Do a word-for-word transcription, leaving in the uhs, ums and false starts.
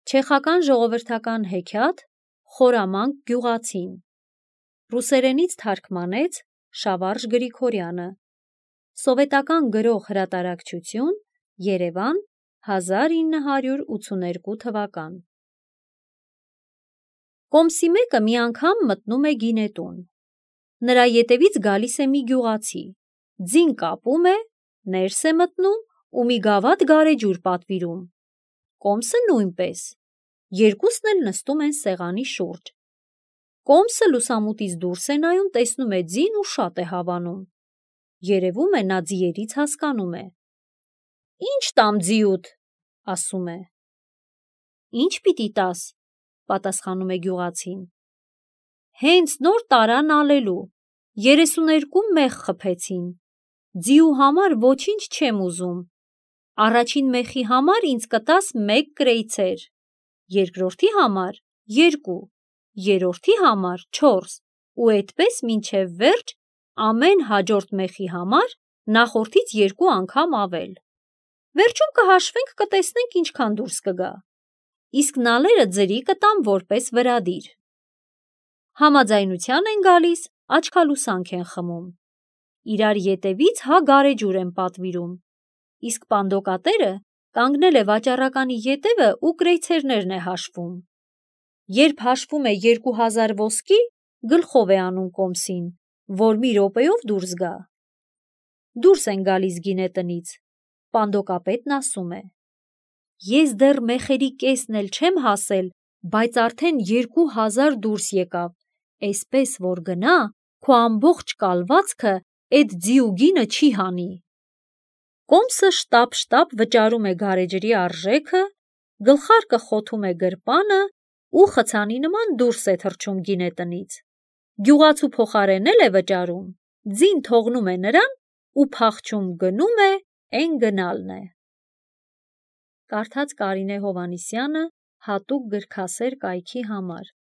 Չեխական ժողովրդական հեքիաթ «Խորամանկ գյուղացին» ռուսերենից թարգմանեց Շավարժ Գրիգորյանը, սովետական գրող հրատարակչություն, Երևան, հազար ինը հարյուր ութսուներկու թվական։ Կոմսի մեկը մի անգամ մտնում է գինետուն։ Նրա ետևից գալիս է մի գյուղացի, ձին կապում է, ներս է մտնում ու մի գավաթ գարեջուր պատվիրում։ Կոմսը նույնպես, երկուսն էլ նստում են սեղանի շուրջ։ Կոմսը լուսամուտից դուրս է նայում, տեսնում է ձին ու շատ է հավանում։ Երևում է նա ձիերից հասկանում է։ «Ի՞նչ տամ ձիուդ», ասում է։ «Ի՞նչ պիտի տաս», պատասխանում է գյուղացին։ «Հենց նոր տարան ալելու, երեսուներկու մեղ խփեցին, ձիու համար ոչինչ չեմ ուզում, առաջին մեխի համար ինձ կտաս մեկ կրեյցեր, երկրորդի համար երկու, երրորդի համար չորս ու էդպես մինչև վերջ ամեն հաջորդ մեխի համար նախորդից երկու անգամ ավել։ Վերջում կհաշվենք, կտեսնենք ինչքան դուրս կգա, իսկ նալերը ձրի կտամ որպես վրադիր»։ Համաձայնության են գալիս, աչքալուսանք են խմում։ Իրար ետևից հա գարեջուր են պատվիրում, իսկ պանդոկատերը կանգնել է վաճառականի ետևը ու կրեյցերներն է հաշվում։ Երբ հաշվում է երկու հազար ոսկի, գլխով է անում Կոմսին, որ մի րոպեով դուրս գա։ Դուրս են գալիս գինետնից, պանդոկապետն ասում է. «Ես դեռ մեխերի կեսն էլ չեմ հասել, բայց արդեն երկու հազար դուրս եկավ, էսպես որ գնա, քո ամբողջ կալվածքը էդ ձիու գինը չի հանի»։ Կոմսը շտապ-շտապ վճարում է գարեջրի արժեքը, գլխարկը խոթում է գրպանը ու խցանի նման դուրս է թռչում գինետնից։ Գյուղացու փոխարեն էլ է վճարում, ձին թողնում է նրան ու փախչում գնում է, էն գնալն է։ Կարդաց Կարինե Հովհաննիսյանը հատուկ գրքասեր կայքի համար։